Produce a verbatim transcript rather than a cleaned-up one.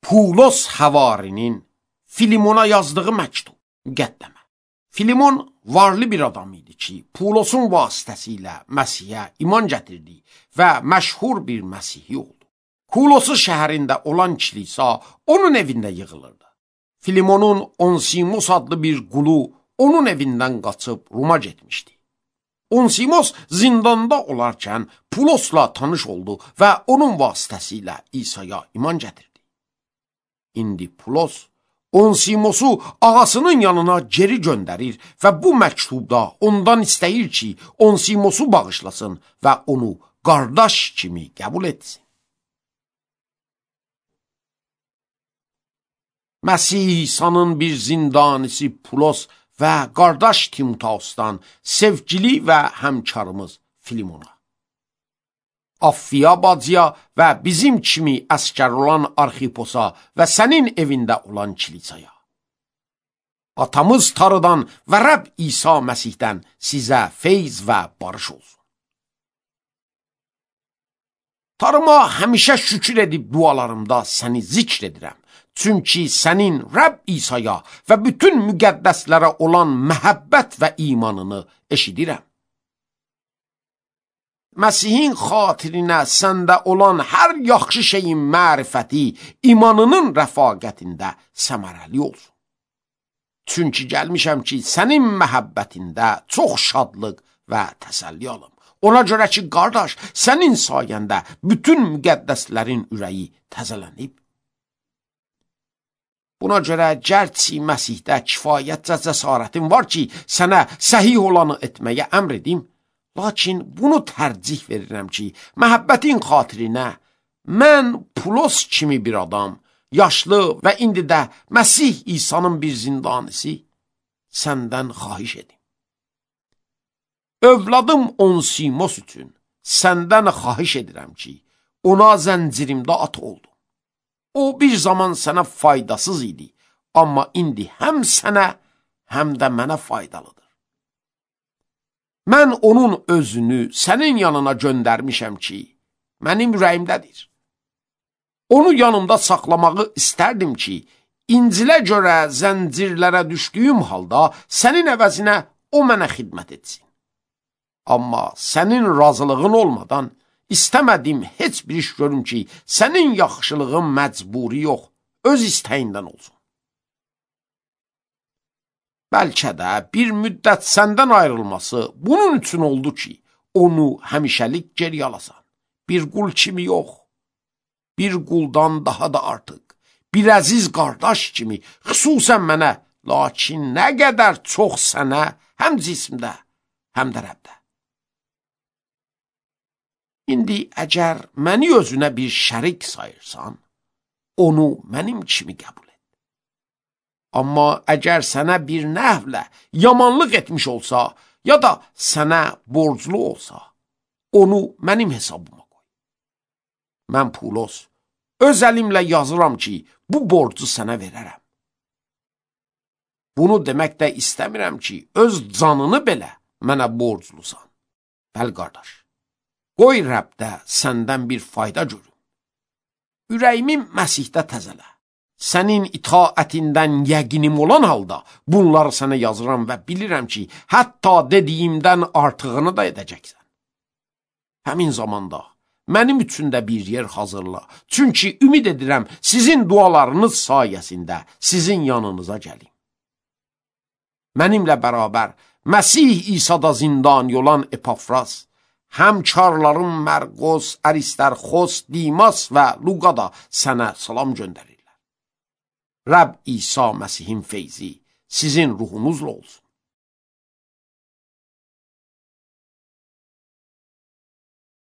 Pulos Həvarinin Filimona yazdığı məktub, müqəddəmə. Filimon varlı bir adam idi ki, Pulosun vasitəsilə Məsihə iman gətirdi və məşhur bir Məsihi oldu. Kulosu şəhərində olan kilisa onun evində yığılırdı. Filimonun Onsimos adlı bir qulu onun evindən qaçıb Roma getmişdi. Onsimos zindanda olarkən Pulosla tanış oldu və onun vasitəsilə İsa'ya iman gətirdi. İndi Pulos Onsimosu ağasının yanına geri göndərir və bu məktubda ondan istəyir ki, Onsimosu bağışlasın və onu qardaş kimi qəbul etsin. Məsih İsa'nın bir zindanisi Pulos və qardaş Timoteusdan sevgili və həmkarımız Filimona. Affiya bacıya və bizim kimi əskər olan Arxiposa və sənin evində olan kilisaya. Atamız Tarıdan və Rəbb İsa Məsihdən sizə feyz və barış olsun. Tarıma həmişə şükür edib dualarımda səni zikr edirəm. Çünki sənin Rəbb İsa'ya və bütün müqəddəslərə olan məhəbbət və imanını eşidirəm. Məsihin xatirinə səndə olan hər yaxşı şeyin mərifəti, imanının rəfaqətində səmərəli olsun. Çünki gəlmişəm ki, sənin məhəbbətində çox şadlıq və təsəlli alım. Ona görə ki, qardaş, sənin sayəndə bütün müqəddəslərin ürəyi təzələnib. Buna görə gərçi Məsihdə kifayətcə cəsarətin var ki, sənə səhih olanı etməyə əmr edim. Lakin bunu tərcih verirəm ki, məhəbbətin xatirinə mən Pulos kimi bir adam, yaşlı və indi də Məsih İsa'nın bir zindanisi səndən xahiş edim. Övladım Onsimos üçün səndən xahiş edirəm ki, ona zəncirimdə at oldu. O bir zaman sənə faydasız idi, amma indi həm sənə, həm də mənə faydalıdır. Mən onun özünü sənin yanına göndərmişəm ki, mənim ürəyimdədir. Onu yanımda saxlamağı istərdim ki, İncilə görə zəncirlərə düşdüyüm halda sənin əvəzinə o mənə xidmət etsin. Amma sənin razılığın olmadan istəmədim heç bir iş görüm ki, sənin yaxşılığın məcburi yox, öz istəyindən olsun. Bəlkə də bir müddət səndən ayrılması bunun üçün oldu ki, onu həmişəlik geri alasan. Bir qul kimi yox, bir quldan daha da artıq, bir əziz qardaş kimi, xüsusən mənə, lakin nə qədər çox sənə, həm cismdə, həm də Rəbdə. İndi əgər məni özünə bir şərik sayırsan, onu mənim kimi qəbul et. Amma əgər sənə bir nəhvlə yamanlıq etmiş olsa, ya da sənə borclu olsa, onu mənim hesabıma qoy. Mən Pulos, öz əlimlə yazıram ki, bu borcu sənə verərəm. Bunu demək də istəmirəm ki, öz canını belə mənə borclusan. Bəl qardaş, qoy Rəbdə səndən bir fayda görüm. Ürəyimi Məsihdə təzələ. Sənin itaətindən yəqinim olan halda bunları sənə yazıram və bilirəm ki, hətta dediyimdən artığını da edəcəksən. Həmin zamanda mənim üçün də bir yer hazırla. Çünki ümid edirəm sizin dualarınız sayəsində sizin yanınıza gəlim. Mənimlə bərabər Məsih İsa'da zindan olan Epafras, həmkarlarım Mərqos, Aristarxos, Dimas və Luqa da sənə salam göndərir. Rəbb İsa Məsihin feyzi sizin ruhunuzla olsun.